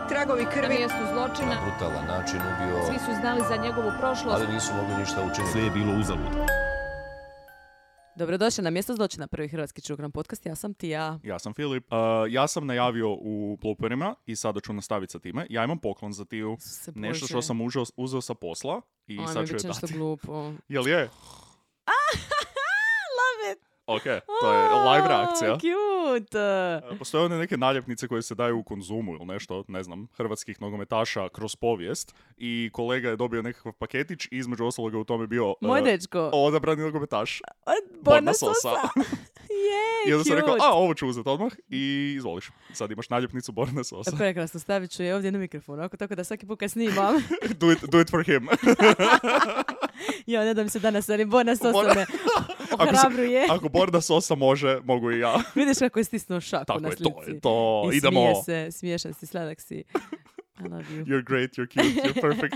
tragovi Na krvi. mjestu zločina. Na brutalan način ubio, Svi su znali za njegovu prošlost. ali nisu mogli ništa učiniti. Sve je bilo uzalud. Dobrodošli na mjesto zločina, prvi hrvatski true crime podcast. Ja sam Tija. Ja sam Filip. Ja sam najavio u blooperima i sada ću nastaviti sa time. Ja imam poklon za Tiju. Nešto što sam uzeo sa posla i Ajme, sad ću bit je će nešto dati. glupo. Jel je? Love it! Ok, to je live reakcija. Cute! Postoje one neke naljepnice koje se daju u Konzumu ili nešto, ne znam, hrvatskih nogometaša kroz povijest i kolega je dobio nekakav paketić i između ostaloga u tome bio Moj dečko. odabrani nogometaš. Borna Sosa. Sosa. I onda sam cute. rekao, ovo ću uzeti odmah i izvoliš. Sad imaš naljepnicu Borna Sosa. Prekrasno, stavit ću je ovdje na mikrofon, ako tako da svaki put kad snimam. do it for him. Ja, ne da mi se danas, ali Borna Sosa Borna- me ohrabruje. Ako Borna Sosa može, mogu i ja. Vidiš kako je stisnuo šaku Tako na je, slici. to je to. I Idemo. smije se, smiješan si, sladak si. I love you. You're great, you're cute, you're perfect.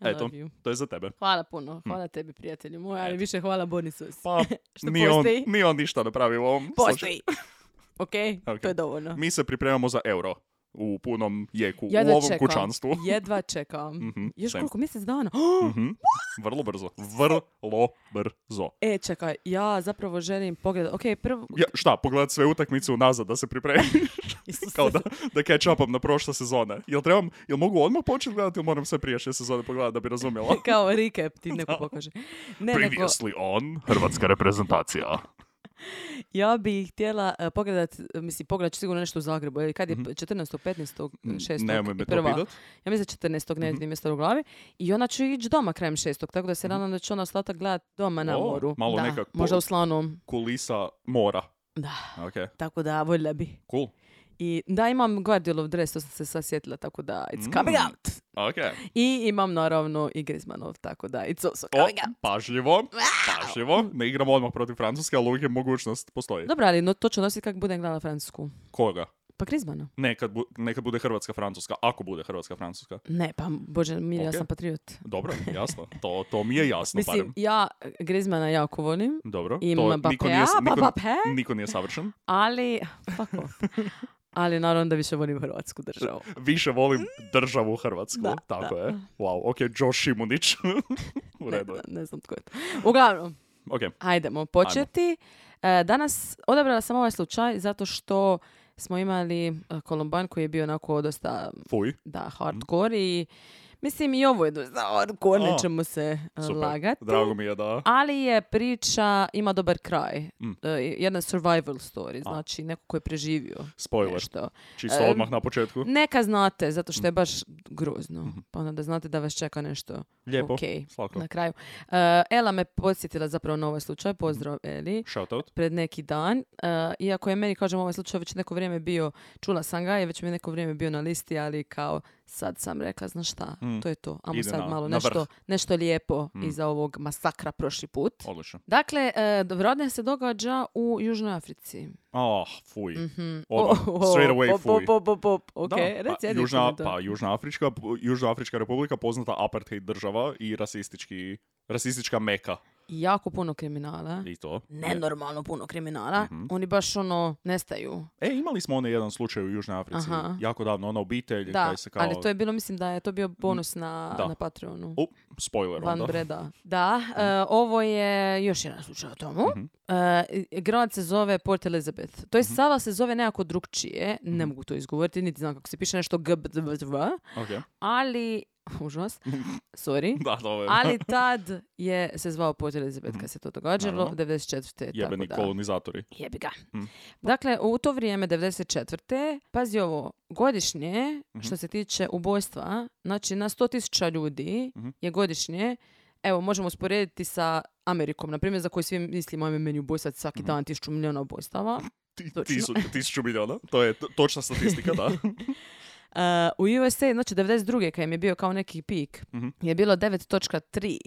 I Eto, love you. to je za tebe. Hvala puno, hvala tebi prijatelju moj, ali Eto. više hvala Borni Sosi. Pa, Što nije postoji? on ništa napravio u ovom Postoji. Ok, Ok. to je dovoljno. Mi se pripremamo za euro u punom jeku u Jedva ovom čekam. kućanstvu. Jedva čekam. Još same. koliko, mjesec dana? Mhm. Vrlo brzo. Vrlo brzo. Čekaj, ja zapravo želim pogledati. Ok, prvo... Ja, šta, pogledat sve utakmice unazad da se pripremi? Isuse. Kao da catch upam na prošle sezone. Jel mogu odmah početi gledati ili moram sve prijašnje sezone pogledati da bi razumjela? Kao recap ti neko pokaže. Ne, nego Previously on Hrvatska reprezentacija. ja bih htjela pogledat ću sigurno nešto u Zagrebu. Ili kad je 14. 15. 6. Nemoj me to prva. pitat. Ja mislim 14. ne vidim mjesto u glavi. I ona će ići doma krajem 6. Tako da se nadam da će ona ostatak gledati doma na O, moru. malo da, nekak možda u Slanom. Kulisa mora. Da, Ok, tako da voljela bi. cool. I da, imam Guardiolov dres, to sam se sad sjetila, tako da it's coming out. Ok. I imam naravno i Griezmannov, tako da it's also O, coming out. pažljivo. Ne igramo odmah protiv Francuske, ali uvijek je mogućnost postoji. Dobro, ali no, to ću nositi kako budem gledala Francusku. Koga? Pa Griezmanna. Nekad bude Hrvatska-Francuska, ako bude Hrvatska-Francuska. Ne, pa bože, mir, ja Ok. sam patriot. Dobro, jasno. To mi je jasno, Mislim, barem. ja Griezmana jako volim, Dobro. Imam Mbappéa, Niko nije savršen. ali... Fuck off. Ali naravno da više volim Hrvatsku državu. Više volim državu Hrvatsku. Da, Tako da. je. Wow, ok, Josh Šimunić. U Ne, redu je. ne znam tko je to. Uglavnom, Ok, hajdemo početi. Danas odabrala sam ovaj slučaj zato što smo imali Kolumban koji je bio onako dosta fuj. hardcore i mislim i ovo je dosta hardcore, A, nećemo se Super. lagati. Drago mi je da... Ali je priča, ima dobar kraj. Jedna survival story, znači neko ko je preživio Spoiler. nešto. Čisto odmah na početku. Neka znate, zato što je baš grozno. Pa onda da znate da vas čeka nešto Lijepo. okej Svako. na kraju. Ela me podsjetila zapravo na ovaj slučaj. Pozdrav, Eli. Shoutout. Pred neki dan. Iako je meni, kažem, ovaj slučaj već neko vrijeme bio, čula sam ga i već mi je neko vrijeme bio na listi, ali kao sad sam rekla, znaš šta, to je to. Amo Ide sad malo na vrh. nešto lijepo iza ovog masakra prošli put. Odlično. Dakle, rodne se događa u Južnoj Africi. Fuj. Odmah. Straight away fuj. Ok, Da, reci, ajde, komentar. Južnoafrička republika poznata apartheid država i rasistička meka. Jako puno kriminala. I to. Nenormalno puno kriminala. Oni baš nestaju. Imali smo jedan slučaj u Južnoj Africi. Aha. Jako davno, ona obitelj. Da, kaj se kao... ali to je bilo, mislim da je to bio bonus na Patreonu. Spoiler Van onda. Breda. Da, ovo je još jedan slučaj o tomu. Grad se zove Port Elizabeth. To je sala se zove nekako drugčije. Ne mogu to izgovoriti, niti znam kako se piše nešto Ok. ali užas, sorry. Da, to je. Ali tad se zvao Port Elizabeth kad se to događalo, Naravno. 94. Jebeni tako da. kolonizatori. Jebi ga. Dakle, u to vrijeme, 94. Pazi ovo, godišnje, što se tiče ubojstva, znači na 100.000 ljudi je godišnje, evo, možemo usporediti sa Amerikom, na primjer, za koju svi mislimo, ajme meni ubojstvat svaki dan 1.000 miliona ubojstava. Točno. 1000 miliona. To je točna statistika, da. U USA, znači 92. kad im je bio kao neki pik, je bilo 9.3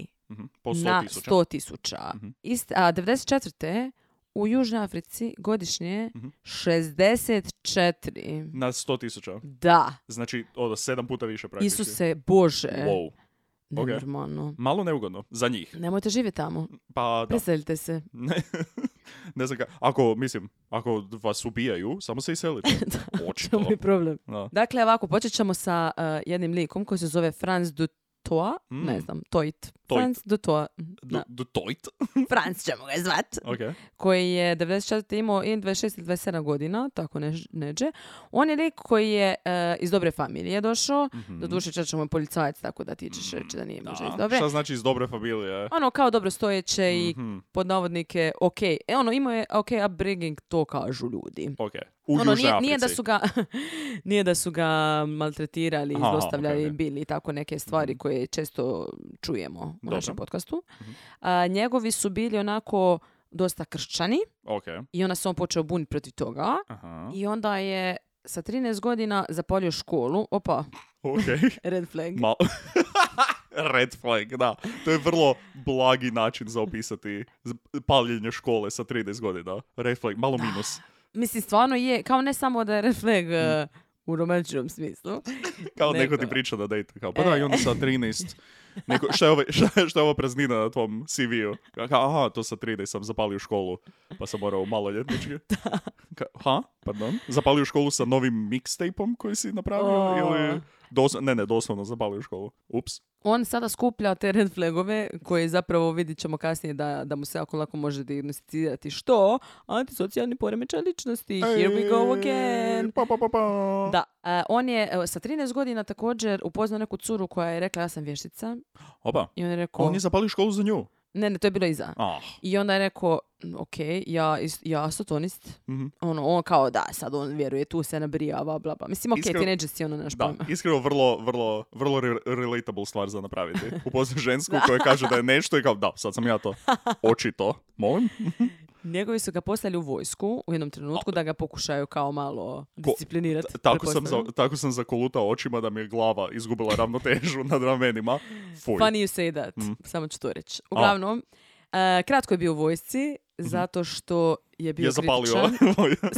Po 100.000. na 100.000. A 94. u Južnoj Africi godišnje 64. Na 100.000. Da. Znači, 7 puta više praktički. Isuse Bože. Wow. Nenormalno. Malo neugodno. Za njih. Nemojte živjeti tamo. Pa da. Preselite se. Ne znam ako vas ubijaju, samo se iselite. Očito. To je problem. Da. Dakle, ovako, počet ćemo sa jednim likom koji se zove Franz Dutoit. Ne znam, Toit. Franz Dutoit. Dutoit? Franz ćemo ga zvat. Okay. Koji je 94. imao i 26 ili 27 godina, tako neđe. On je lik koji je iz dobre familije došao. Doduše, čača mu je policajac, tako da ti ćeš reći da nije možda iz dobre. Šta znači iz dobre familije? Ono, kao dobro stojeće i pod navodnike ok. Imao je ok upbringing, to kažu ljudi. Ok. U Južnoj Africi. Nije da su ga maltretirali, zlostavljali, bili i tako neke stvari koje često čujemo u našem podcastu. Njegovi su bili onako dosta kršćani i onda se on počeo buniti protiv toga i onda je sa 13 godina zapalio školu. Opa, red flag. Red flag, da. To je vrlo blagi način za opisati paljenje škole sa 13 godina. Red flag, malo minus. Mislim, stvarno je, kao ne samo da je red flag u romantičnom smislu. Kao neko ti priča da dejte. Kao, pa da, i onda sa 13... Šta je ovo praznina na tvom CV-u? Aha, to sa 13 sam zapalio školu, pa sam morao maloljetnički. Pardon? Zapalio školu sa novim mixtapeom koji si napravio? Ili... doslovno zapalio školu. Ups. On sada skuplja te red flagove koje zapravo vidit ćemo kasnije da mu se jako lako može dijagnosticirati. Što? Antisocijalni poremećaj ličnosti. Here we go again. Da. On je sa 13 godina također upoznao neku curu koja je rekla ja sam vještica. Opa. I on je rekao... On je zapalio školu za nju. Ne, to je bilo iza. I onda je rekao, ok, ja satanist. On kao da, sad on vjeruje, tu se nabrijava, bla bla. Mislim, ok, teenager si ono naš pojma. Da, iskreno vrlo relatable stvar za napraviti. Upoznaš žensku koja kaže da je nešto i kao, da, sad sam ja to. Očito. Molim? Njegovi su ga poslali u vojsku u jednom trenutku da ga pokušaju kao malo disciplinirati. Tako sam zakolutao očima da mi je glava izgubila ravnotežu nad ramenima. Fuj. Funny you say that. Samo ću to reći. Uglavnom, kratko je bio u vojsci zato što je bio kritičan.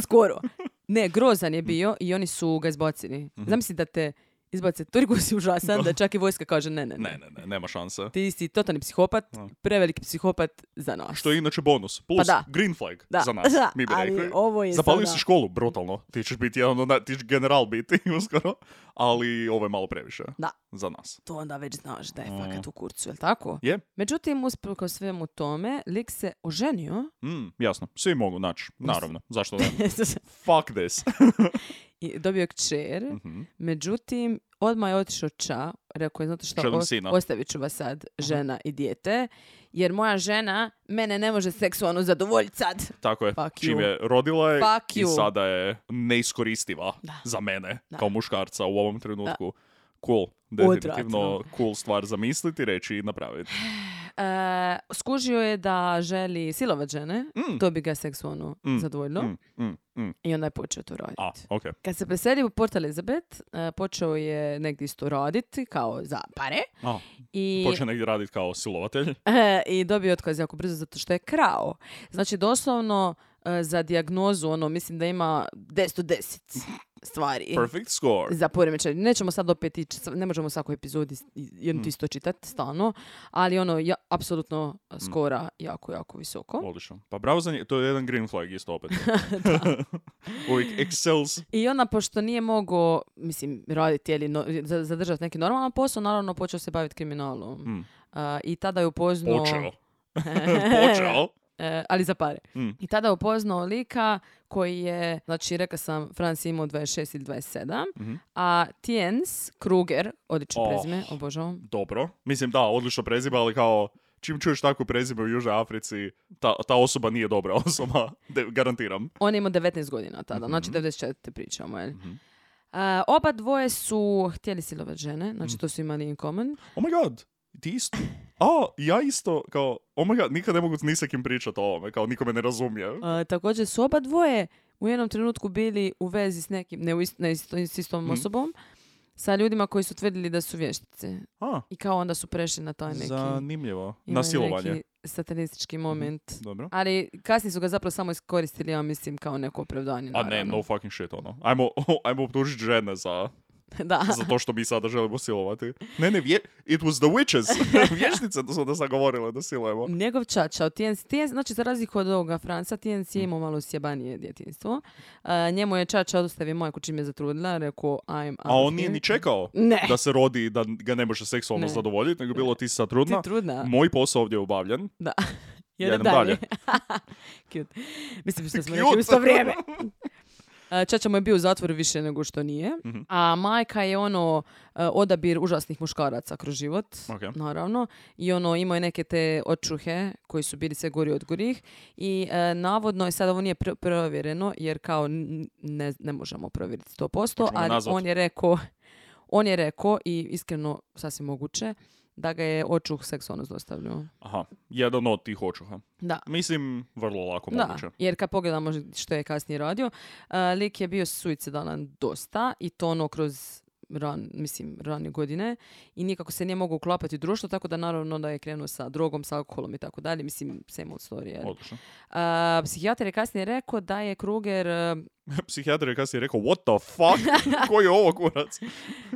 Skoro. Ne, grozan je bio i oni su ga izbacili. Zamisli da te izbace, toliko si užasan da čak i vojska kaže ne, nema šanse. Ti si totalni psihopat, preveliki psihopat za nas. Što je inače bonus. Plus green flag za nas. Mi bi rekli. Zapalio si školu, brutalno. Ti ćeš biti ti ćeš general biti uskoro, ali ovo je malo previše za nas. To onda već znaš da je fakat u kurcu, jel tako? Je. Međutim, usprkos svemu tome, lik se oženio. Jasno, svi mogu naći. Naravno, zašto ne? Fuck this. I dobio je kćer, međutim, odmah je otišao rekao je, znate što, ostavit ću vas sad, žena i dijete, jer moja žena mene ne može seksualno zadovoljiti sad. Tako je, čim je rodila je i sada je neiskoristiva za mene, kao muškarca u ovom trenutku. Cool, definitivno cool stvar zamisliti, reći i napraviti. Skužio je da želi silovat žene, to bi ga seksualno zadovoljilo. I onda je počeo to raditi. Okay. Kad se preselio u Port Elizabeth, počeo je negdje isto raditi, kao za pare. Počeo negdje raditi kao silovatelj. I dobio otkaz jako brzo zato što je krao. Znači, doslovno za dijagnozu, mislim da ima 10 od 10 stvari. Perfect score. Za poremećaj. Nećemo sad opet ići, ne možemo u svakoj epizodi jednu isto čitati stalno, ali apsolutno skora jako, jako visoko. Odlično. Pa bravo za to je jedan green flag isto opet. Uvijek excels. I onda, pošto nije mogao, raditi ili zadržati neki normalan posao, naravno počeo se baviti kriminalom. I tada je upoznao... Počeo? Ali za pare. I tada upoznao lika koji je, znači rekao sam, Franc imao 26 ili 27, a Tiens Kruger, odlično prezime, obožavam. Dobro. Mislim da, odlično prezime, ali kao čim čuješ takvo prezime u Južnoj Africi, ta osoba nije dobra osoba, garantiram. On je imao 19 godina tada, znači 94. pričamo, jel? Oba dvoje su htjeli silovat žene, znači to su imali in common. Oh my god, ti isto? Ja isto, kao, oh my god, nikad ne mogu ni sa kim pričati o ovome, kao niko me ne razumije. Također su oba dvoje u jednom trenutku bili u vezi s nekim, s istom osobom, sa ljudima koji su tvrdili da su vještice. I kao onda su prešli na taj neki... Zanimljivo. Na silovanje. Neki satanistički moment. Dobro. Ali kasnije su ga zapravo samo iskoristili, ja mislim, kao neko opravdanje. Ne, no fucking shit, ono. Ajmo optužiti žene za Da. Zato što mi sada želimo silovati. Ne, it was the witches. Vješnice su nas nagovorile da silujemo. Njegov čača, TNC, znači za razliku od ovoga Franca, TNC je imao malo sjebanije djetinjstvo. Njemu je čača odostavio majku čim je zatrudila, rekao I'm A on nije ni čekao da se rodi i da ga ne može seksualno zadovoljiti, nego bilo ti sad trudna. Ti trudna. Moj posao ovdje je obavljen. Da. Jedem dalje. Cute. Mislim što smo rekli u isto vrijeme. Čača mu je bio u zatvoru više nego što nije. A majka je odabir užasnih muškaraca kroz život, naravno. I imao je neke te očuhe koji su bili sve gori od gorih. I navodno, sad ovo nije provjereno, jer kao ne možemo provjeriti 100%, ali on je rekao i iskreno sasvim moguće, da ga je očuh seksualno zlostavljao. Aha, jedan od tih očuha. Da. Mislim, vrlo lako moguće. Jer kad pogledamo što je kasnije radio, lik je bio suicidalan dosta i to kroz ranije godine i nikako se nije mogao uklapati u društvo, tako da naravno da je krenuo sa drogom, sa alkoholom i tako dalje. Mislim, same old story. Odlično. Psihijatar je kasnije rekao da je Kruger... Psihijatar je kasnije rekao, what the fuck? Ko je ovo kurac?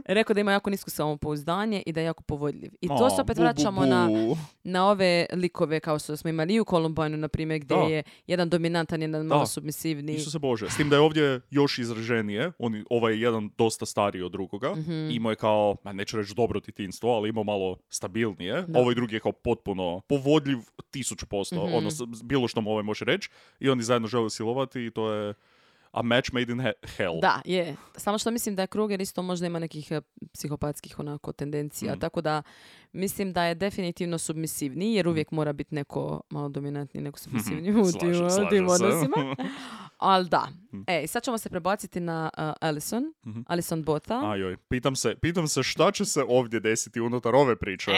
Rekao da ima jako nisko samopouzdanje i da je jako povodljiv. I to se opet vraćamo na ove likove kao što smo imali i u Columbine, na primjer, gdje je jedan dominantan, jedan malo submisivni. Isuse Bože. S tim da je ovdje još izraženije. Ovaj je jedan dosta stariji od drugoga. Imao je kao, neću reći dobro djetinjstvo, ali imao malo stabilnije. Ovaj drugi je kao potpuno povodljiv 1000%. Bilo što mu ovaj može reći. I oni zajedno žele silovati i to je a match made in hell. Da, je. Samo što mislim da je Kruger isto možda ima nekih psihopatskih tendencija. Tako da mislim da je definitivno submisivniji, jer uvijek mora biti neko malo dominantniji, neko submisivniji u tim odnosima. Ali da. Sad ćemo se prebaciti na Alison Botha. Ajoj, pitam se šta će se ovdje desiti unutar ove priče.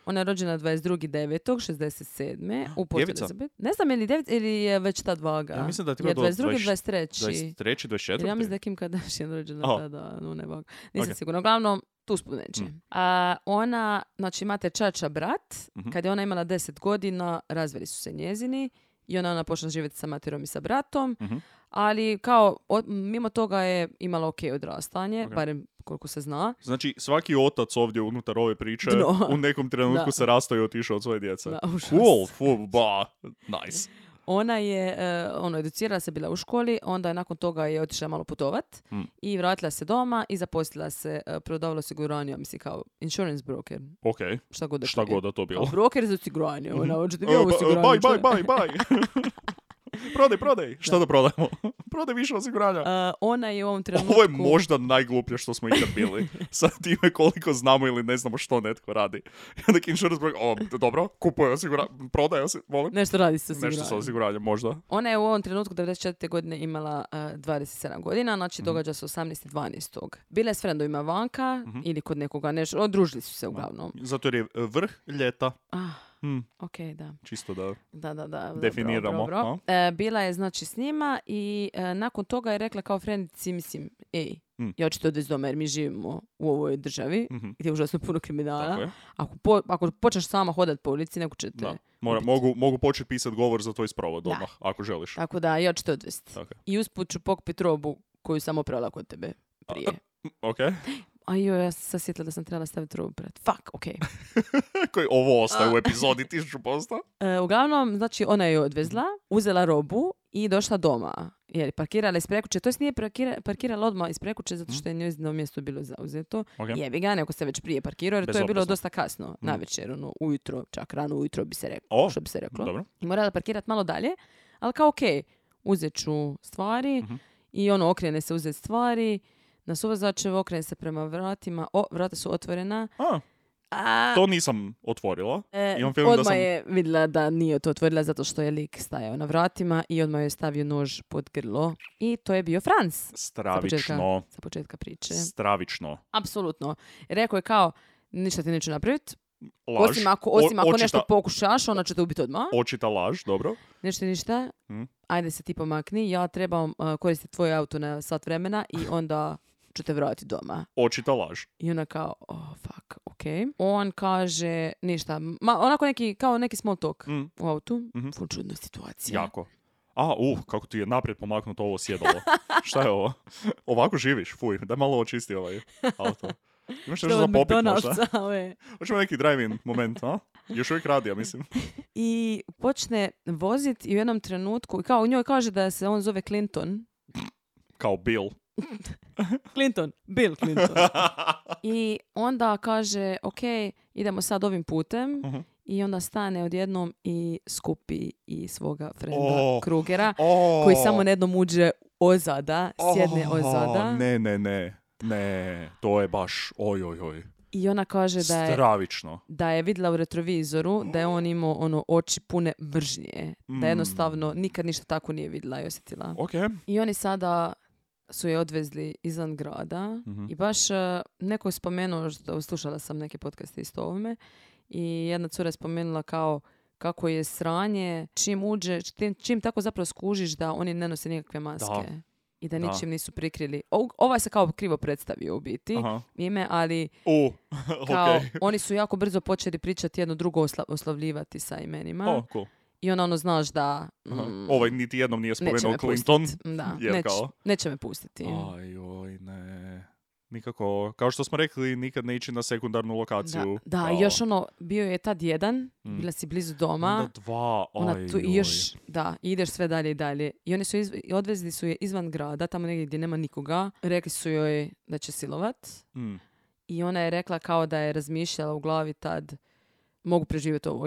Ona je rođena 22.9.67. u Port Elizabeth. Ne znam je li 9 ili je već tad vaga. Ja mislim da ti ima do 23. 23. 24. Ja mislim da je Kim Kardashian rođena tada. No, ne vaga. Nisam sigurna. Uglavnom, tu spomenući. Ona, znači imate čača brat. Kad je ona imala 10 godina, razveli su se njezini. I ona počela živjeti sa materom i sa bratom. Ali kao, mimo toga je imala ok odrastanje, barem koliko se zna. Znači, svaki otac ovdje unutar ove priče u nekom trenutku se rastao i otišao od svoje djece. Cool, nice. Ona je, educirala se, bila u školi, onda je nakon toga je otišla malo putovat i vratila se doma i zaposlila se, prodavala osiguranje, mislim kao insurance broker. Ok, šta god da to bilo. Broker za osiguranje, ona hoćete vi ovo osiguranje. Bye. Prodaj. Šta da prodajemo? Prodaj više osiguranja. Ona je u ovom trenutku... Ovo je možda najgluplje što smo ikad bili. Sad time koliko znamo ili ne znamo što netko radi. Neki insurance broker, dobro, kupuje osiguranje, prodaje osiguranje. Nešto radi sa osiguranjem. Nešto sa osiguranjem, možda. Ona je u ovom trenutku 94. godine imala 27 godina, znači događa se 18.12. Bila je s frendovima vanka ili kod nekoga nešto, odružili su se uglavnom. Zato jer je vrh ljeta. Ok, da. Čisto da definiramo. Dobro. Bila je znači s njima i nakon toga je rekla kao frendici, mislim, ja ću to odvesti doma jer mi živimo u ovoj državi gdje je užasno puno kriminala. Ako počneš sama hodat po ulici, neko će te... Mogu početi pisati govor za tvoj sprovod odmah, ako želiš. Tako da, ja ću to odvesti. I usput ću pokupiti robu koju sam oprala kod tebe prije. Ok. Ja sam se sjetila da sam trebala staviti robu pred. Fuck, okej. Koji ovo ostaje u epizodi 1000%. Uglavnom, znači, ona je odvezla, uzela robu i došla doma. Jer je parkirala ispred kuće. To jest nije parkirala odmah ispred kuće zato što je njezino mjesto bilo zauzeto. Jebi ga, neko se već prije parkirao jer to je bilo dosta kasno. Navečer, ujutro, čak rano ujutro bi se reklo. Što bi se reklo. Dobro. I morala parkirati malo dalje. Ali kao okej, uzet ću stvari i okrene se uzeti stvari. Na suvozačevo okrene se prema vratima. Vrata su otvorena. To nisam otvorila. Odmah je vidjela da nije to otvorila zato što je lik stajao na vratima i odmah je stavio nož pod grlo. I to je bio Franz. Stravično. Sa početka priče. Stravično. Apsolutno. Rekao je kao, ništa ti neću napraviti. Laž. Osim ako nešto pokušaš, ona će te ubiti odmah. Očita laž, dobro. Ništa. Ajde se ti pomakni. Ja trebam koristiti tvoj auto na sat vremena i onda ću te vratiti doma. Očita laž. I ona kao, fuck, ok. On kaže ništa. Onako neki small talk u autu. Čudna situacija. Jako. kako ti je naprijed pomaknuto ovo sjedalo. Šta je ovo? Ovako živiš? Fuj, daj malo očisti ovaj auto. Imaš nešto za popit možda? Hoćemo neki drive-in moment, a? Još uvijek radi, ja mislim. I počne voziti i u jednom trenutku, kao u njoj kaže da se on zove Clinton. Kao Bill. Bill Clinton. I onda kaže, ok, idemo sad ovim putem. I onda stane odjednom i skupi i svoga frenda Krugera, koji samo jednom uđe ozada, sjedne ozada. Ne, to je baš oj. I ona kaže stravično. Da je vidjela u retrovizoru da je on imao oči pune mržnje. Da jednostavno nikad ništa tako nije vidjela i osjetila. Okay. I oni sada su je odvezli izvan grada i baš neko je spomenuo, slušala sam neke podcaste isto o ovome, i jedna cura je spomenula kako je sranje, čim uđe, čim tako zapravo skužiš da oni ne nose nikakve maske. Da. I da ničim nisu prikrili. Ovaj se kao krivo predstavio u biti ime, ali kao, oni su jako brzo počeli pričati jedno drugo oslavljivati sa imenima. Cool. I ono znaš da... Ovaj niti jednom nije spomenuo Clinton. Da, neće me pustiti. Ajoj, ne. Nikako, kao što smo rekli, nikad ne ići na sekundarnu lokaciju. Da, i još bio je tad jedan, bila si blizu doma. Onda dva, i još, i ideš sve dalje i dalje. I oni su odvezli su je izvan grada, tamo negdje gdje nema nikoga. Rekli su joj da će silovat. I ona je rekla kao da je razmišljala u glavi tad, mogu preživjeti ovo.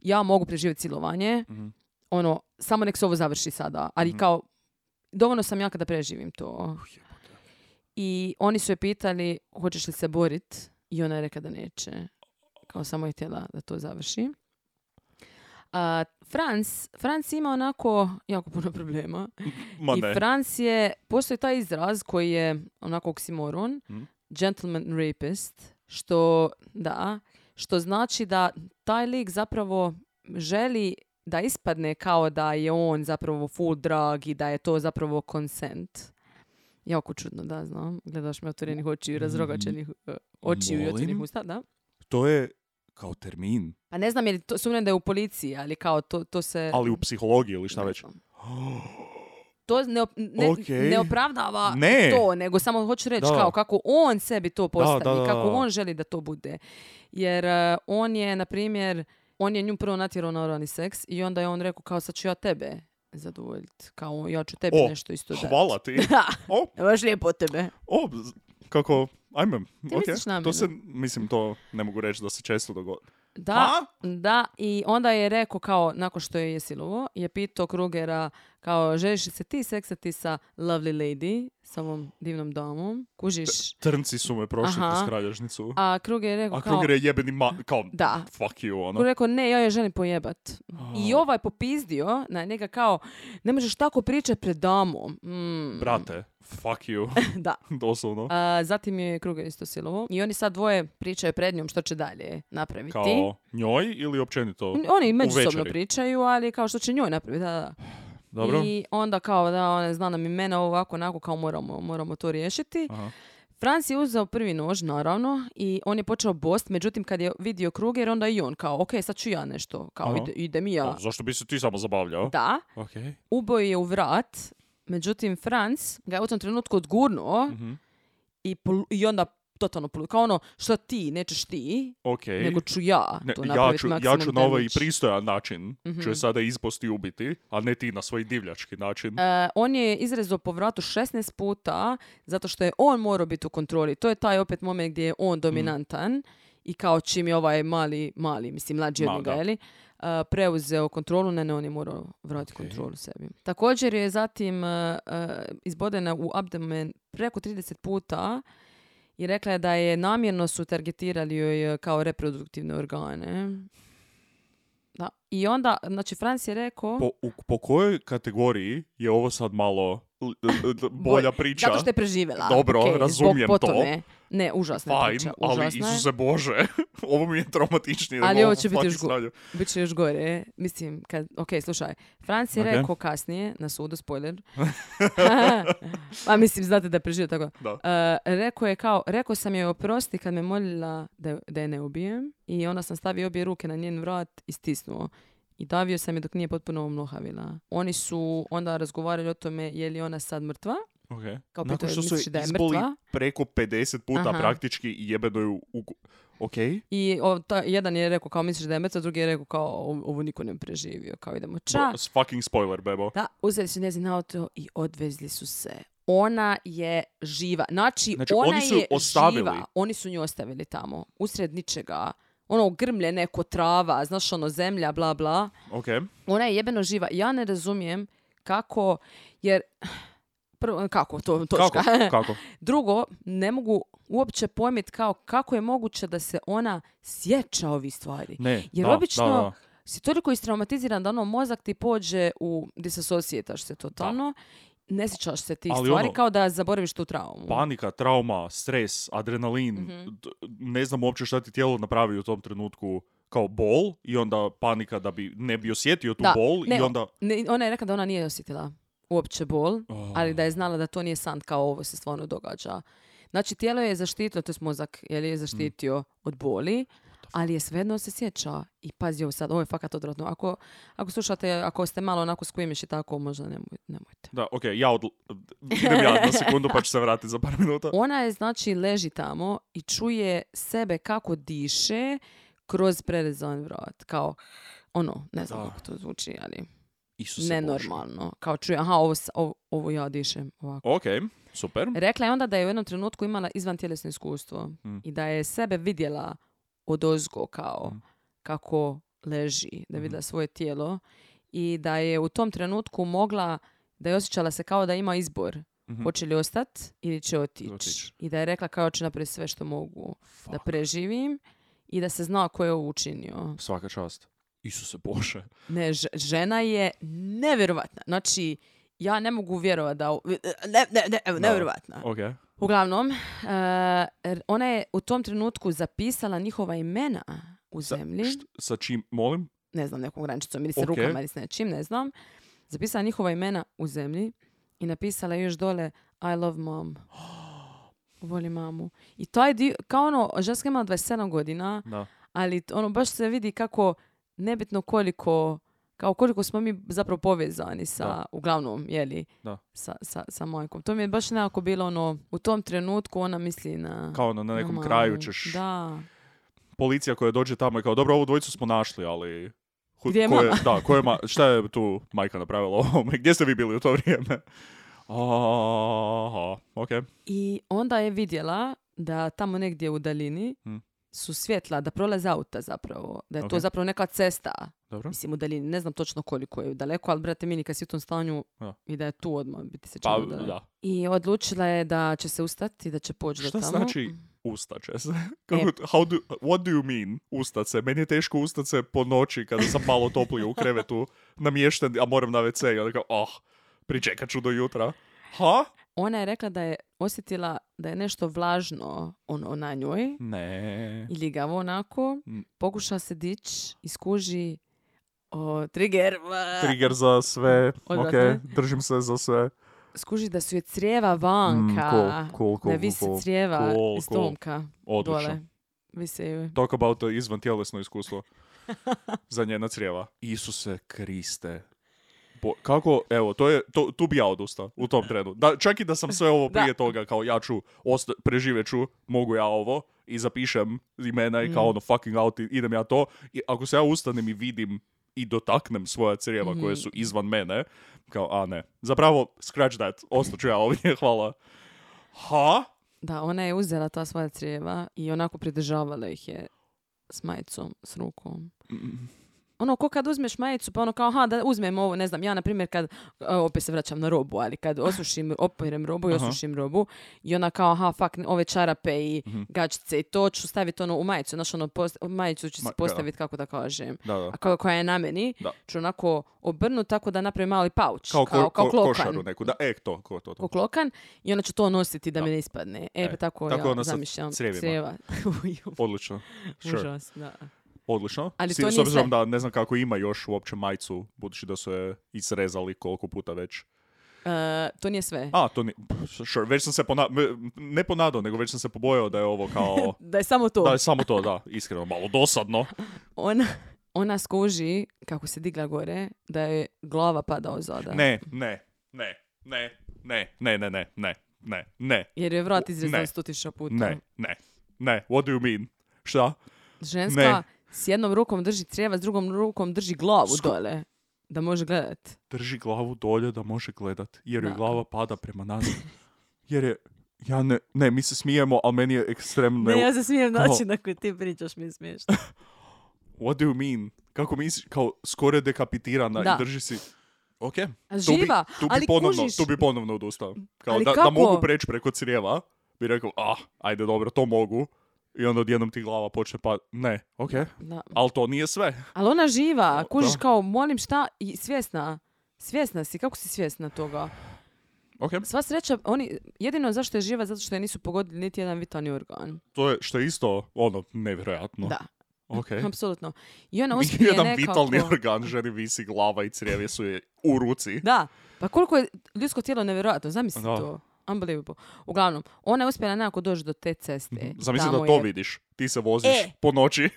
Ja mogu preživjeti silovanje. Samo nek se ovo završi sada. Ali kao, dovoljno sam jaka da preživim to. I oni su je pitali, hoćeš li se borit? I ona je rekla da neće. Kao samo je htjela da to završi. Franc ima onako jako puno problema. I Franc je, postoji taj izraz koji je onako oksimoron, gentleman rapist, što znači da taj lik zapravo želi da ispadne kao da je on zapravo full drug i da je to zapravo consent. Jako čudno, da, znam. Gledaš me otvorenih očiju i razrogačenih očiju i otvorenih usta, da. To je kao termin. Pa ne znam, sumnjam da je u policiji, ali kao to se... Ali u psihologiji ili šta već? To ne opravdava to, nego samo hoću reći kao kako on sebi to postavi, kako on želi da to bude. Jer on je, na primjer, on je nju prvo natjerao na oralni seks i onda je on rekao kao sad ću ja tebe zadovoljiti. Kao ja ću tebi nešto isto dati. Hvala ti. Baš lijepo od tebe. Kako, ajme. To se, mislim, to ne mogu reći da se često dogodi. Da, i onda je rekao kao, nakon što je silovo, je pitao Krugera kao, želiš se ti seksati sa lovely lady, sa ovom divnom damom, kužiš? Trnci su me prošli kroz kralježnicu. A Kruger je rekao Kruger je jebeni kao, fuck you, ono. Kruger je rekao, ne, ja je želim pojebat. I ovaj popizdio na njega kao, ne možeš tako pričati pred damom. Brate, fuck you. Da. Doslovno. Zatim je Kruger isto silovo. I oni sad dvoje pričaju pred njom što će dalje napraviti. Kao njoj ili općenito? Oni međusobno pričaju, ali kao što će njoj napraviti, da. Dobro. I onda kao da ona zna nam imena ovako, onako kao moramo to riješiti. Aha. Franc je uzeo prvi nož, naravno, i on je počeo bost, međutim kad je vidio Kruger, onda i on kao, ok, sad ću ja nešto, kao idem i ja. Zašto bi se ti samo zabavljao? Da. Okay. Uboj je u vrat, međutim Franc ga je u tom trenutku odgurnuo i onda totalno kao ono, što ti, nećeš ti, nego ću ja to napraviti maksimum ja ću na ovaj pristojan način, ću je sada isposti ubiti, a ne ti na svoj divljački način. On je izrezao po vratu 16 puta, zato što je on morao biti u kontroli. To je taj opet moment gdje je on dominantan i kao čim je ovaj mali, mislim, mlađi od njega, jeli, preuzeo kontrolu, ne, on je morao vratiti kontrolu sebi. Također je zatim izbodena u abdomen preko 30 puta i rekla je da je namjerno su targetirali joj kao reproduktivne organe. Da. I onda, znači, Franc je rekao... Po kojoj kategoriji je ovo sad malo bolja priča? Zato što je preživjela. Dobro, razumijem to. Ne, užasna priča. Ali Isuse Bože, ovo mi je traumatičnije. Ali ovo će biti još gore. Mislim, slušaj, Franc je rekao kasnije na sudu, spoiler. Pa mislim, znate da je preživio tako. Rekao sam joj oprosti kad me molila da je ne ubijem i onda sam stavio obje ruke na njen vrat i stisnuo. i davio sam je dok nije potpuno omlohavila. Oni su onda razgovarali o tome je li ona sad mrtva. Okay. Kao Nakon pitao, što su misliš da je izboli mrtva? preko 50 puta Aha. praktički i jebeno ju ok? I jedan je rekao kao misliš da je mrtva, drugi je rekao kao ovo niko ne preživio. Kao idemo Fucking spoiler, bebo. Da, uzeli su njezin auto i odvezli su se. Ona je živa. Znači ona oni su je ostavili. živa. Oni su nju ostavili tamo. Usred ničega. Ono grmlje neko trava, znaš ono zemlja, bla bla. Ok. Ona je jebeno živa. Ja ne razumijem kako, jer... Prvo, kako to točka. Kako? Drugo, ne mogu uopće pojmiti kako je moguće da se ona sjeća ovih stvari. Ne, Jer da, obično da. si toliko istraumatiziran da ono mozak ti pođe u disassociataš se totalno, ne sjećaš se tih Ali stvari ono, kao da zaboraviš tu traumu. Panika, trauma, stres, adrenalin, ne znam uopće šta ti tijelo napravi u tom trenutku, kao bol i onda panika da bi ne bi osjetio tu bol i onda... Ona je rekla da ona nije osjetila uopće bol, ali da je znala da to nije san kao ovo se stvarno događa. Znači tijelo je zaštitilo, to je mozak, je zaštitio od boli, ali je svejedno se sjeća. I pazi ovo sad, ovo je fakat odvratno. Ako slušate, ako ste malo onako skujmiš i tako, možda nemojte. Da, ok, idem ja na sekundu pa ću se vratiti za par minuta. Ona je, znači, leži tamo i čuje sebe kako diše kroz prerezan vrat. Kao, ono, ne znam kako to zvuči, ali nenormalno. Kao čuje, aha, ovo ja dišem ovako. Ok, super. Rekla je onda da je u jednom trenutku imala izvantjelesno iskustvo i da je sebe vidjela odozgo kao kako leži, da vidjela svoje tijelo i da je u tom trenutku mogla, da je osjećala se kao da ima izbor. Hoće li ostati ili će otići. I da je rekla kao će napraviti sve što mogu da preživim i da se zna ko je ovo učinio. Svaka čast. Isuse Bože. Ne, žena je nevjerovatna. Znači, ja ne mogu vjerovati da... nevjerovatna. Okay. Uglavnom, ona je u tom trenutku zapisala njihova imena u zemlji. Sa čim, molim? Ne znam, nekom grančicom ili sa rukama ili s nečim, ne znam. Zapisala njihova imena u zemlji i napisala još dole I love mom. Volim mamu. I to je kao ono, ženska ima 27 godina, ali ono baš se vidi kako nebitno koliko smo mi zapravo povezani sa, uglavnom, jeli, sa majkom. To mi je baš nekako bilo ono, u tom trenutku ona misli na... Kao ono, na nekom kraju ćeš... Da. Policija koja dođe tamo i kao, dobro, ovu dvojicu smo našli, ali... Gdje je mama? Šta je tu majka napravila ovome? Gdje ste vi bili u to vrijeme? Aha, ok. I onda je vidjela da tamo negdje u daljini su svjetla, da prolaze auta zapravo. Da je to zapravo neka cesta. Dobro. Mislim u daljini. Ne znam točno koliko je daleko, ali brate mili kad si u tom stanju i da je tu odmah biti se činilo da. I odlučila je da će se ustati i da će poći do tamo. Šta znači ustat će se? What do you mean ustat se? Meni je teško ustat se po noći kada sam malo toplije u krevetu namješten, a moram na WC i onda kao, pričekat ću do jutra. Ha? Ona je rekla da je osjetila da je nešto vlažno na njoj. Ne. I ligavo onako. Pokuša se dići i skuži trigger. Trigger za sve. Ok, držim se za sve. Skuži da su je crijeva vanka. Cool, da visi crijeva iz tomka. Odlično. Dole. Vise joj. Talk about izvan tjelesno iskustvo. Za njena crijeva. Isuse Kriste. Kako, evo, tu bi ja odustao u tom trenu. Čak i da sam sve ovo prije toga, kao ja ću, preživjet ću, mogu ja ovo, i zapišem imena i kao ono fucking out, idem ja to. I ako se ja ustanem i vidim i dotaknem svoja crijeva koje su izvan mene, kao, ne. Zapravo, scratch that, ostaću ja ovdje, hvala. Ha? Da, ona je uzela ta svoja crijeva i onako pridržavala ih je s majicom, s rukom. Ono, ko kad uzmeš majicu, pa ono kao, da uzmem ovo, ne znam, ja, na primjer, kad, opet se vraćam na robu, ali kad operem robu i osušim robu, i ona kao, ove čarape i gačice i to ću staviti ono u majicu, znaš, ono, majicu ću se postaviti, kako da kažem, a koja je na meni, ću onako obrnuti tako da napravim mali pauč, kao klokan. Košaru neku, to. Kao klokan, i onda ću to nositi da mi ne ispadne. Pa tako ja zamišljam crijeva. Odlično. Užas, da. Odlično. S obzirom da ne znam kako ima još uopće majicu, budući da su je isrezali koliko puta već. To nije sve. To nije... Sure. Već sam se ne ponadao, nego već sam se pobojao da je ovo kao... da je samo to. Da je samo to, da. Iskreno, malo dosadno. ona skuži, kako se digla gore, da je glava pada ozoda. Ne. Jer je vrat izrezan Ne. 100.000 puta. Ne. What do you mean? Šta? Ženska Ne. s jednom rukom drži crijeva, s drugom rukom drži glavu dole. Da može gledat. Drži glavu dolje da može gledat, jer joj Da. glava pada prema nazad. Jer je, mi se smijemo, ali meni je ekstremno... Ne, ja se smijem kao- način na koji ti pričaš, mi je smiješno. What do you mean? Kako misliš, kao skoro je dekapitirana Da. i drži si... Ok, A živa, ali kužiš. tu bi ponovno odustao. Kao Ali da kako? mogu preći preko crijeva, bi rekao, ajde dobro, to mogu. I onda odjednom ti glava počne pa... Ne, ok, Da. ali to nije sve. Ali ona živa, kužiš Da. kao, molim šta, i svjesna. Svjesna si, kako si svjesna toga? Ok, Sva sreća, jedino zašto je živa, zato što je nisu pogodili niti jedan vitalni organ. to je što je isto, nevjerojatno. Da, Ok. apsolutno. I ona uspije Jedan nekako... vitalni organ, ženi visi glava i crijevi su je u ruci. Da, pa koliko je ljudsko tijelo nevjerojatno, zamisli Da. to. Unbelievable. Uglavnom, ona je uspjela nekako doći do te ceste. Zamisli Tamo da to je- vidiš. Ti se voziš E. po noći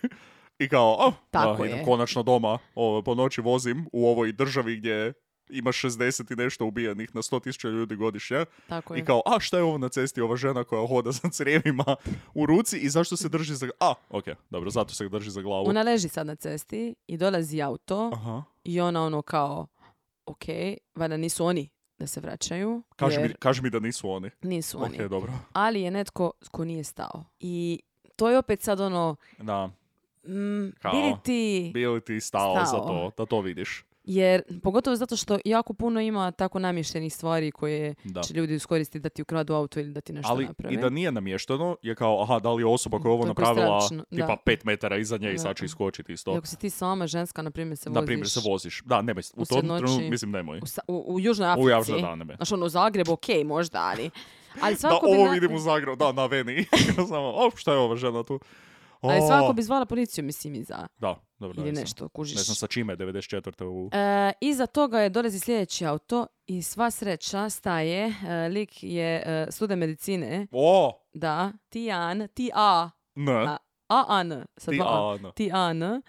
i kao, Tako idem je. konačno doma. Po noći vozim u ovoj državi gdje ima 60 i nešto ubijenih na 100.000 ljudi godišnje. Tako I je. kao, šta je ovo na cesti, ova žena koja hoda za crijevima u ruci i zašto se drži za... ok, dobro, zato se drži za glavu. Ona leži sad na cesti i dolazi auto Aha. i ona ono kao, ok, valjda nisu oni da se vraćaju. jer Kaži mi da nisu oni. nisu oni. Ok, dobro. Ali je netko ko nije stao. I to je opet sad ono, Da, Kao? bi li ti stao za stao? to, da to vidiš. Jer, pogotovo zato što jako puno ima tako namještenih stvari koje Da. će ljudi iskoristiti da ti ukradu auto ili da ti nešto Ali naprave. i da nije namješteno, je kao, da li je osoba koja je ovo To je napravila prestrašno, tipa da. 5 metara iza nje i Da. sad će iskočiti I isto. ako si ti sama ženska, na primjer, se voziš Na primjer se voziš. Da, nemoj. U usred tom noći. trenutku mislim nemoj. u Južnoj Africi. U Južnoj, da, nemoj. Znaš, ono, u Zagrebu, okej, možda, ali Da, svako ovo bi... vidim u Zagrebu, da, na Veni. Samo, šta je ova žena tu? Ali svako bi zvala policiju, mislim, iza. Da, dobro, Ili ne znam. nešto, kužiš. Ne znam sa čime, 94. u... Iza toga je dolazi sljedeći auto i sva sreća staje. Lik je student medicine. Da, Tian, Ne, A-An, sa ti, dva A. ne. Tian.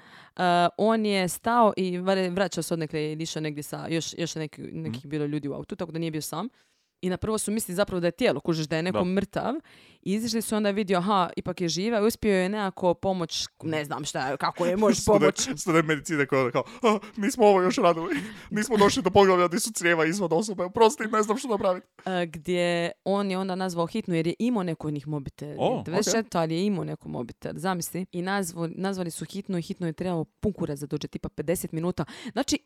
On je stao i vraćao se odnekle i išao negdje sa još nekih bilo ljudi u autu, tako da nije bio sam. I na prvo su mislili zapravo da je tijelo, kužiš da je neko mrtav. I izišli su onda vidio, ipak je živa i uspio je nekako pomoć, ne znam šta, kako je, možeš pomoć. Student medicine koja kao, nismo ovo još radili, nismo došli do poglavlja gdje su crijeva izvan osobe, oprosti, ne znam što napraviti. Gdje on je onda nazvao hitnu jer je imao neko od njih mobitel. 94, ali je imao neko mobitel, zamisli. I nazvali su hitnu i hitno je trebalo pun kurac da dođe, tipa 50 minuta. Znači,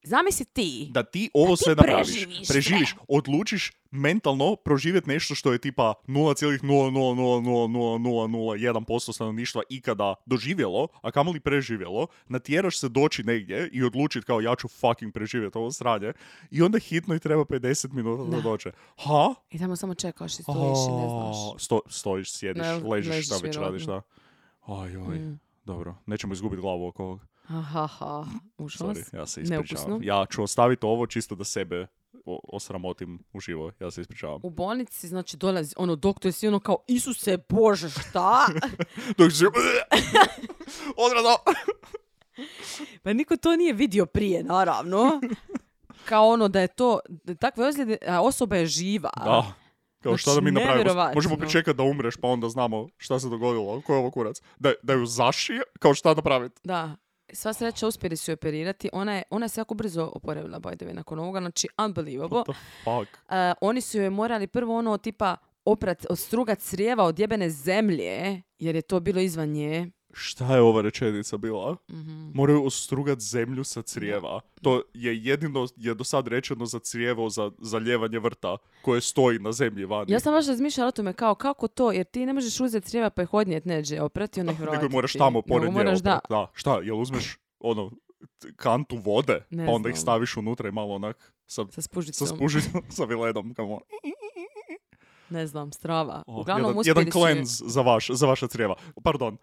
zamisli ti. Da ti ovo sve napraviš, preživiš, sve. odlučiš mentalno proživjeti nešto što je tipa 0,0000001% stanovništva ikada doživjelo, a kamoli preživjelo, natjeraš se doći negdje i odlučiti kao ja ću fucking preživjeti ovo sranje i onda hitno i treba 50 minuta da dođe. I tamo samo čekaš i stojiš i ne znaš. Stojiš, sjediš, Ne, ležiš, šta već vjerojatno. radiš, da. Dobro, nećemo izgubiti glavu oko ovog. Užas. Sorry, ja se ispričavam. Neukusno. Ja ću ostaviti ovo čisto da sebe osramotim uživo. Ja se ispričavam. U bolnici, znači, dolazi, doktor si kao, Isuse Bože, šta? Dok se... Odrado! Pa niko to nije vidio prije, naravno. Kao da je to, takve ozljede, a osoba je živa. Da. Kao šta da Znači, mi napravimo? nevjerovatno. Možemo pričekati da umreš pa onda znamo šta se dogodilo. Ko je ovo kurac? Da ju zašije? Kao šta napraviti? Da. Sva sreća uspjeli su operirati. Ona se jako brzo oporavila, by the way, nakon ovoga. Znači, unbelievable. What the fuck? Oni su joj morali prvo tipa odstrugat crijeva od jebene zemlje, jer je to bilo izvan nje. Šta je ova rečenica bila? Mm-hmm. Moraju ostrugat zemlju sa crijeva. To je jedino je do sad rečeno za crijevo za zalijevanje vrta koje stoji na zemlji vani. Ja sam baš razmišljala o tome kao kako to, jer ti ne možeš uzeti crijeva pa ih odnijet neđe, oprati onih vratiti. Nego moraš tamo pored nje moraš, oprat. Da. Šta, jel uzmeš kantu vode, Ne pa onda ih znam. staviš unutra i malo onak sa spužicom. spužicom, sa viledom. Kamo. Ne znam, strava. Uglavnom jedan uspjeli su... cleanse za vaša crijeva. Pardon,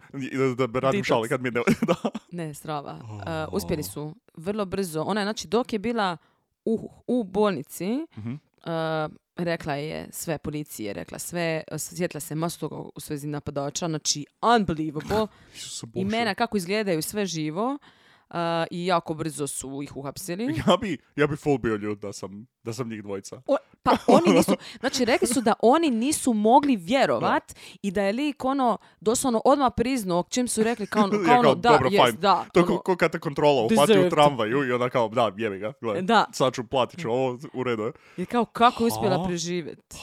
da radim Detox. šali kad mi ne... da. Ne, strava. Uspjeli su vrlo brzo. Ona je, znači, dok je bila u bolnici, rekla je sve policije, rekla sve, sjetila se masu toga u svezi napadača, znači, unbelievable. Isuse Bože. Imena kako izgledaju, sve živo. i jako brzo su ih uhapsili. Ja bi full bio ljud da sam njih dvojica. Pa oni nisu, znači rekli su da oni nisu mogli vjerovat i da je lik doslovno odmah priznao čim su rekli kao da, dobro, jest, fine. da. To je ko kad te kontrola upati u Desert. tramvaju i onda kao, da, jebi ga, gledaj, Da. sad ću platit ću ovo, u redu je. I kao kako je uspjela preživjeti.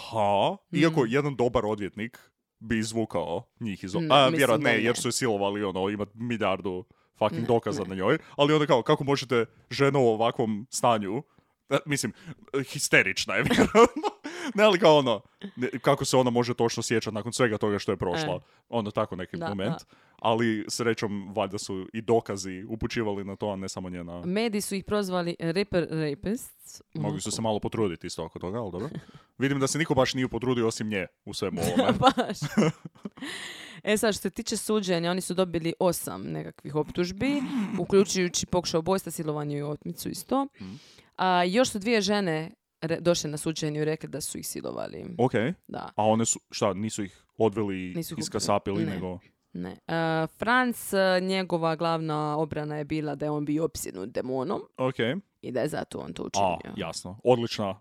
Iako jedan dobar odvjetnik bi izvukao njih iz... vjerojatno ne, jer su je silovali, imat milijardu fucking dokaza na njoj, ali onda kao, kako možete ženu u ovakvom stanju, mislim, histerična je vjerojatno, ne, ali kao kako se ona može točno sjećati nakon svega toga što je prošla, tako neki moment, ali srećom, valjda su i dokazi upućivali na to, a ne samo njena... Mediji su ih prozvali rapists. Mogli su se malo potruditi isto oko toga, ali dobro. Vidim da se niko baš nije potrudio osim nje u svemu ovome. Baš. Sad, što se tiče suđenja, oni su dobili 8 nekakvih optužbi, uključujući pokušaj ubojstva, silovanje i otmicu isto. A još su 2 žene došle na suđenje i rekli da su ih silovali. Ok. Da. A one su, nisu ih odveli, iskasapili, nego... Ne. Franz, njegova glavna obrana je bila da je on bio opsjednut demonom. Ok. I da je zato on to učinio. Jasno.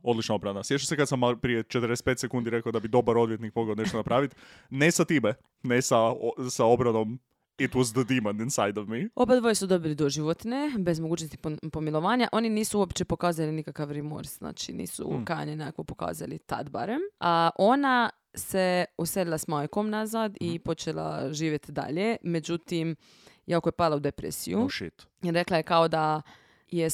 Odlična obrana. Sjećam se kad sam prije 45 sekundi rekao da bi dobar odvjetnik mogao nešto napraviti. Ne sa time. Ne sa obranom It was the demon inside of me. Oba dvoje su dobili doživotne, bez mogućnosti pomilovanja. Oni nisu uopće pokazali nikakav remors, znači nisu kajanje nekako pokazali tad barem. A ona se uselila s majkom nazad i počela živjeti dalje. Međutim, jako je pala u depresiju. Oh shit. I rekla je kao da je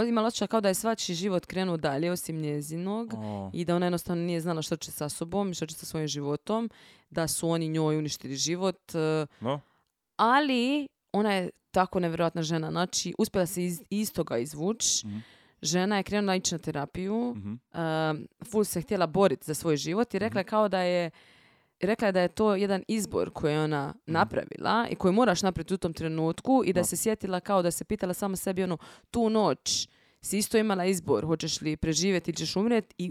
imala osjećaj kao da je svačiji život krenuo dalje osim njezinog i da ona jednostavno nije znala što će sa sobom i što će sa svojim životom, da su oni njoj uništili život. Ali ona je tako nevjerojatna žena. Znači, uspjela se iz toga izvući. Žena je krenula ići na terapiju. Full se htjela boriti za svoj život i rekla je kao da je to jedan izbor koji je ona napravila i koji moraš napraviti u tom trenutku i da se sjetila kao da se pitala sama sebi tu noć si isto imala izbor, hoćeš li preživjeti ili ćeš umrijeti i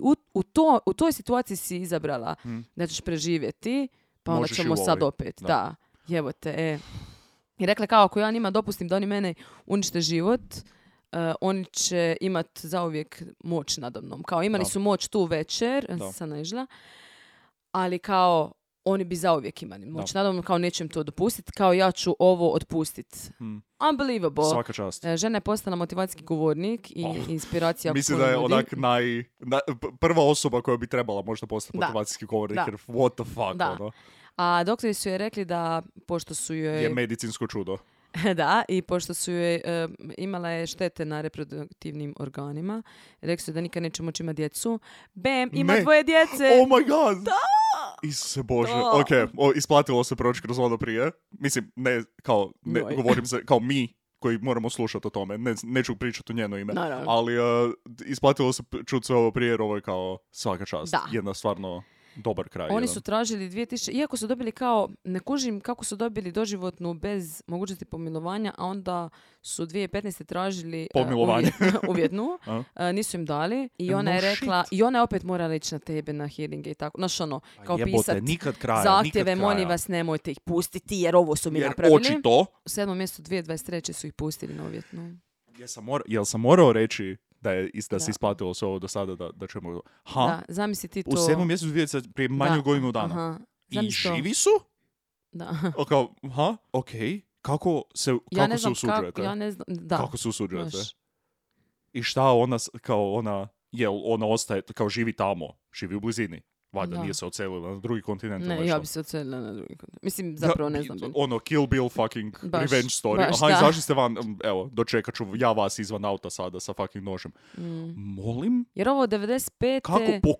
u toj situaciji si izabrala da ćeš preživjeti, pa onda možeš ćemo sad opet. Da. Jevo te, I rekla kao, ako ja njima dopustim da oni mene unište život, oni će imat zauvijek moć nadamnom. Kao imali su moć tu večer, sam naišla, ali kao oni bi zauvijek imali moć nadamnom, kao nećem to dopustiti, kao ja ću ovo otpustiti. Unbelievable. Svaka čast. Žena je postala motivacijski govornik i inspiracija. Mislim da je onak prva osoba koja bi trebala možda postati motivacijski govornik, jer what the fuck, A doktori su joj rekli da, pošto su joj... Je medicinsko čudo. Da, i pošto su joj imala je štete na reproduktivnim organima, rekli su da nikad neće moći imati djecu. Bam, ima 2 djece! Oh my god! Da! Isuse Bože. Ok, isplatilo se proći kroz ono prije. Mislim, govorim se kao mi koji moramo slušati o tome. Neću pričati u njeno ime. Ali isplatilo se čuti sve ovo prije, jer ovo je kao svaka čast. Da. Jedna stvarno... dobar kraj. Oni su tražili 2000, iako su dobili kao, ne kužim kako su dobili doživotnu bez mogućnosti pomilovanja, a onda su 2015. tražili uvjetnu, nisu im dali i ona je rekla, i ona je opet morala ići na tebe na hearinge i tako, znaš kao pisat zahtjeve, molim vas nemojte ih pustiti jer ovo su mi napravili. Očito. U 7. mjesecu 2023. su ih pustili na uvjetnu. Jel sam morao reći da se isplatilo sve ovo do sada da ćemo... Da, zamisli ti to... U 7. mjesecu 2020 prije manju godinu dana. I živi su? Da. Okej. Kako se usuđujete? Ja ne znam, da. Kako se usuđujete? I šta ona, jel ona ostaje, kao živi tamo, živi u blizini? Valjda nije se odselila na drugi kontinent. Ne, ja bi se odselila na drugi kontinent. Mislim, zapravo ne znam. Kill Bill fucking revenge story. Izašli ste van, evo, dočekat ću ja vas izvan auta sada sa fucking nožem. Molim? Jer ovo 95. Kako? Po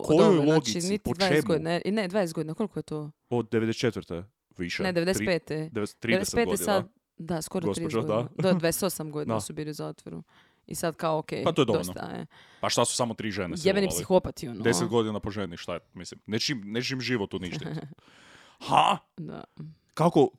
kojoj logici? Znači, po 20 čemu? Godina, ne, 20 godina. Koliko je to? Od 94. Više. Ne, 95. 30 godina. Sad, da, skoro 30 godina. Do 28 godina su bili u zatvoru. I sad kao, okej, pa to je dovoljno. Dosta je. Pa šta su samo 3 žene silovali? Jebeni psihopati, 10 godina po ženi, šta je, mislim. Nečim život uništiti. Da. Kako,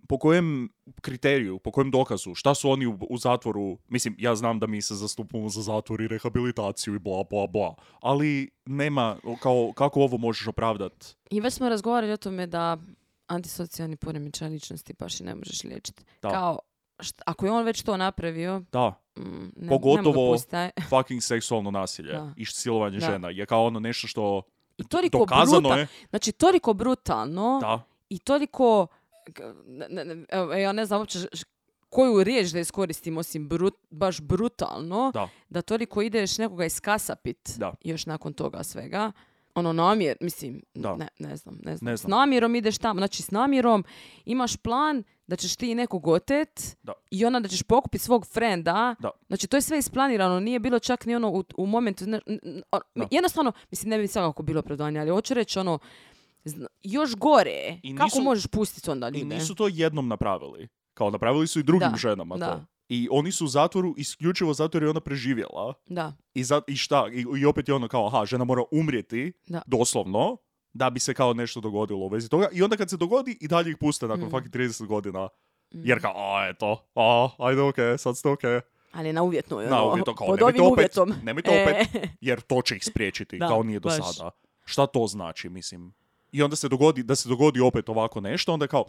po kojem kriteriju, po kojem dokazu, šta su oni u zatvoru, mislim, ja znam da mi se zastupamo za zatvor i rehabilitaciju i bla, bla, bla, ali nema, kako ovo možeš opravdati? I već smo razgovarali o tome da antisocijalni poremećaj ličnosti baš i ne možeš liječiti. Kao, ako je on već to napravio, Da. ne Pogotovo mogu dopustiti. fucking seksualno nasilje Da. i silovanje Da. žena je kao ono nešto što I toliko dokazano je. Znači, toliko brutalno Da. i toliko... Evo, ja ne znam uopće koju riječ da iskoristim osim baš brutalno, da toliko ideš nekoga iskasapit još nakon toga svega. Ono namjer, mislim, ne znam. S namjerom ideš tamo, znači s namjerom imaš plan da ćeš ti nekog otet i onda da ćeš pokupiti svog frenda. Znači to je sve isplanirano, nije bilo čak ni ono u momentu, jednostavno, mislim ne bi svakako bilo opravdanje, ali hoću reći ono, još gore, kako možeš pustiti onda ljude? I nisu to jednom napravili, kao napravili su i drugim ženama to. I oni su u zatvoru isključivo zato jer je ona preživjela. Da. I šta? I opet je ono kao, žena mora umrijeti, doslovno, da bi se kao nešto dogodilo u vezi toga. I onda kad se dogodi, i dalje ih puste nakon fucking 30 godina. Jer kao, eto, ajde okej, sad ste okej. Ali na uvjetno, na uvjetno, kao, pod ovim uvjetom. Nemojte opet, jer to će ih spriječiti, kao nije do sada. Šta to znači, mislim? I onda se dogodi opet ovako nešto, onda je kao,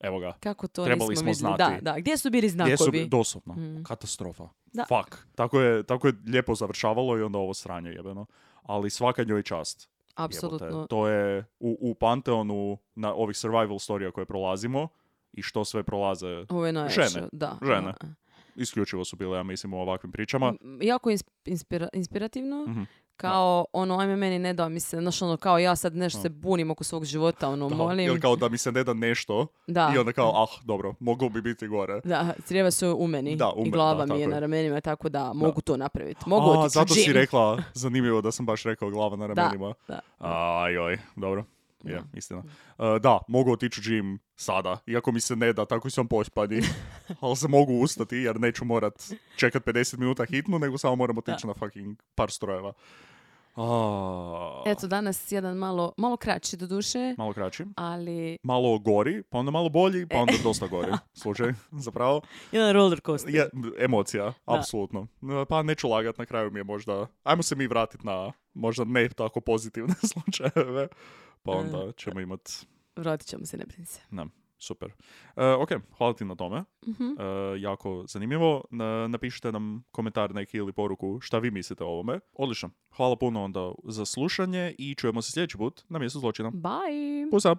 evo ga, kako to trebali smo znati. Da, gdje su bili znakovi? Doslovno, katastrofa. Fuck. Tako je lijepo završavalo i onda ovo sranje jebeno. Ali svaka njoj čast. Apsolutno. Jebote. To je u Panteonu na ovih survival storija koje prolazimo i što sve prolaze žene. Žene. Isključivo su bile, ja mislim, u ovakvim pričama. Jako inspirativno. Kao, ajme meni ne da mi se, znaš, kao ja sad nešto se bunim oko svog života, molim. Ili kao da mi se ne da nešto i onda kao, dobro, moglo bi biti gore. Da, crijeva su u meni i glava mi je na ramenima, tako da mogu to napraviti. Mogu otići zato si rekla, zanimljivo da sam baš rekao glava na ramenima. Ajoj, dobro. Je, istina. Da, mogu otići u gym sada, iako mi se ne da, tako sam pospani. Ali se mogu ustati jer neću morat čekat 50 minuta hitnu, nego samo moram otići na fucking par strojeva. Eto, danas jedan malo kraći do duše. Malo kraći. Ali... Malo gori, pa onda malo bolji, pa onda dosta gori. Slučaj, zapravo. Jedan roller coaster. Emocija, apsolutno. Pa neću lagat, na kraju mi je možda... Ajmo se mi vratiti na možda ne tako pozitivne slučajeve. Pa onda ćemo imati... Vratit ćemo se, ne brini se. Super. Ok, hvala ti na tome. Jako zanimljivo. Napišite nam komentar neki ili poruku šta vi mislite o ovome. Odlično. Hvala puno onda za slušanje i čujemo se sljedeći put na Mjestu zločina. Bye! Pusa!